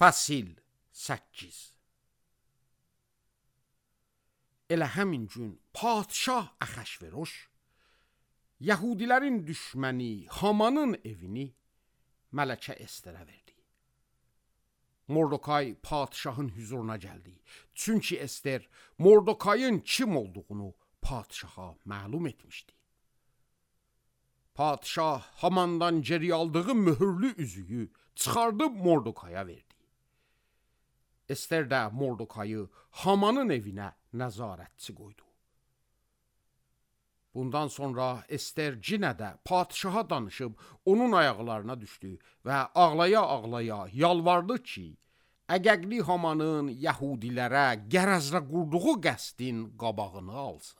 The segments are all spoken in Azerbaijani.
Fəsil 8. Elə həmin gün padşah Əhəşveroş Yahudilərin düşməni Hamanın evini Mələkə Esterə verdi. Mordokay padşahın huzuruna gəldi. Çünki Ester Mordokayın kim olduğunu padşaha məlum etmişdi. Padşah Hamandan geri aldığı mühürlü üzüyü çıxardıb Mordokaya verdi. Ester də Mordokayı Hamanın evinə nəzarətçi qoydu. Bundan sonra Ester yenə də padşaha danışıb onun ayaqlarına düşdü və ağlaya-ağlaya yalvardı ki, əgəqli Hamanın Yahudilərə qərəzlə qurduğu qəsdin qabağını alsın.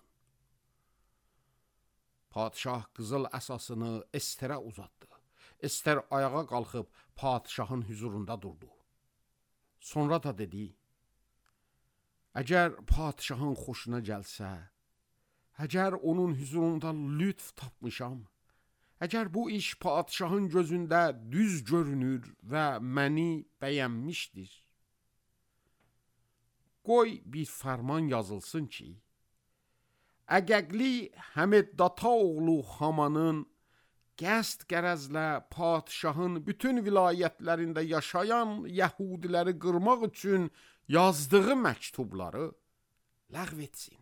Padşah qızıl əsasını Esterə uzatdı. Ester ayağa qalxıb padşahın huzurunda durdu. Sonra da dedi, əgər padşahın xoşuna gəlsə, əgər onun huzurunda lütf tapmışam, əgər bu iş padşahın gözündə düz görünür və məni bəyənmişdir, qoy bir fərman yazılsın ki, əgəqli Həmeddata oğlu Hamanın qəsd qərəzlə padşahın bütün vilayətlərində yaşayan Yahudiləri qırmaq üçün yazdığı məktubları ləğv etsin.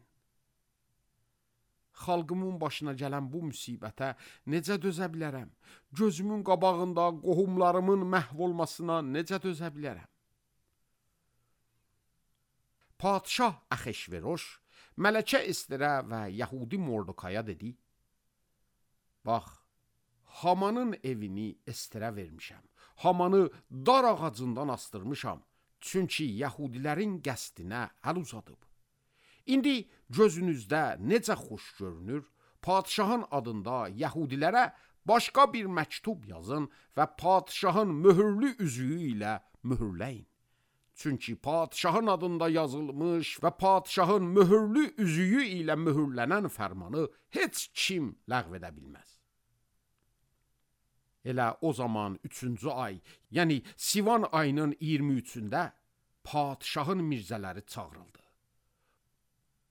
Xalqımın başına gələn bu müsibətə necə dözə bilərəm? Gözümün qabağında qohumlarımın məhv olmasına necə dözə bilərəm? Padşah Əhəşveroş Mələkə Esterə və Yahudi Mordokaya dedi, bax, Hamanın evini Esterə vermişəm. Hamanı dar ağacından astırmışam. Çünki Yahudilərin qəsdinə əl uzadıb. İndi gözünüzdə necə xoş görünür, padşahın adında Yahudilərə başqa bir məktub yazın və padşahın mühürlü üzüyü ilə mühürləyin. Çünki padşahın adında yazılmış və padşahın mühürlü üzüyü ilə mühürlənən fərmanı heç kim ləğv edə bilməz. Elə o zaman 3-cü ay, yəni Sivan ayının 23-də padşahın mirzələri çağırıldı.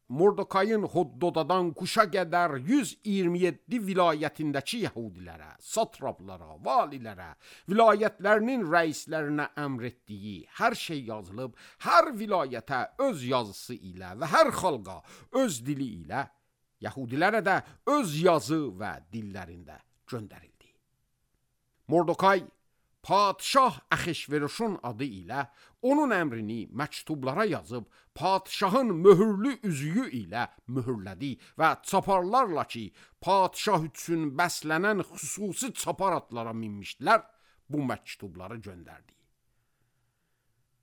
Mordokayın Hoddodadan Kuşa qədər 127 vilayətindəki Yahudilərə, satraplara, valilərə, vilayətlərinin rəislərinə əmr etdiyi hər şey yazılıb, hər vilayətə öz yazısı ilə və hər xalqa öz dili ilə, Yahudilərə də öz yazı və dillərində göndərildi. Mordokay, padşah Əhəşveroşun adı ilə onun əmrini məktublara yazıb, padşahın mühürlü üzüyü ilə mühürlədi və çaparlarla ki, padşah üçün bəslənən xüsusi çapar atlara minmişdilər, bu məktubları göndərdi.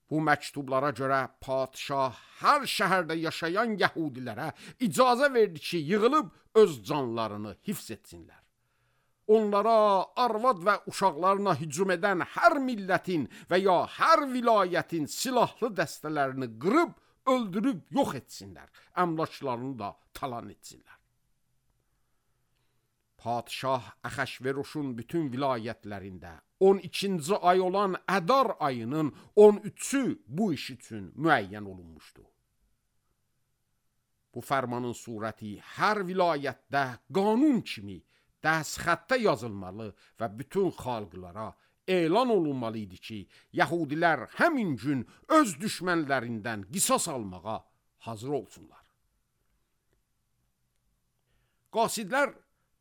Bu məktublara görə padşah hər şəhərdə yaşayan Yahudilərə icazə verdi ki, yığılıb öz canlarını hifz etsinlər. Onlara, arvad və uşaqlarına hücum edən hər millətin və ya hər vilayətin silahlı dəstələrini qırıb, öldürüb yox etsinlər, əmlaklarını da talan etsinlər. Padşah Əhəşveroşun bütün vilayətlərində 12-ci ay olan Ədar ayının 13-ü bu iş üçün müəyyən olunmuşdu. Bu fərmanın surəti hər vilayətdə qanun kimi dəstxətdə yazılmalı və bütün xalqlara elan olunmalı idi ki, Yahudilər həmin gün öz düşmənlərindən qisas almağa hazır olsunlar. Qasidlər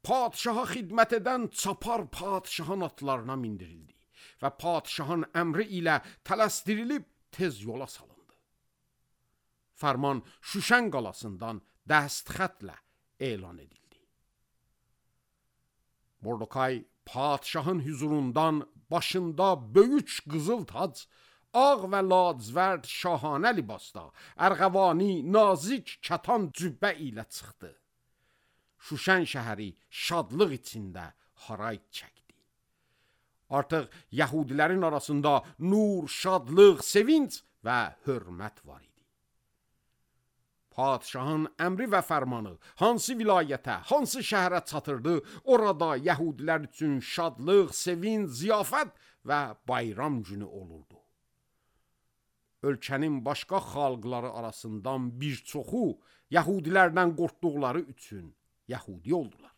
padşaha xidmət edən çapar padşahın atlarına mindirildi və padşahın əmri ilə tələsdirilib tez yola salındı. Fərman Şuşən qalasından dəstxətlə elan edildi. Mordokay padşahın huzurundan başında böyük qızıl tac, ağ və lacivərd şahanə libasda, ərğəvani, nazik kətan cübbə ilə çıxdı. Şuşən şəhəri şadlıq içində haray çəkdi. Artıq Yahudilərin arasında nur, şadlıq, sevinç və hörmət var idi. Padşahın əmri və fərmanı hansı vilayətə, hansı şəhərə çatırdı, orada Yəhudilər üçün şadlıq, sevinç, ziyafət və bayram günü olurdu. ölkənin başqa xalqları arasından bir çoxu yəhudilərdən qorxduqları üçün yəhudi oldular.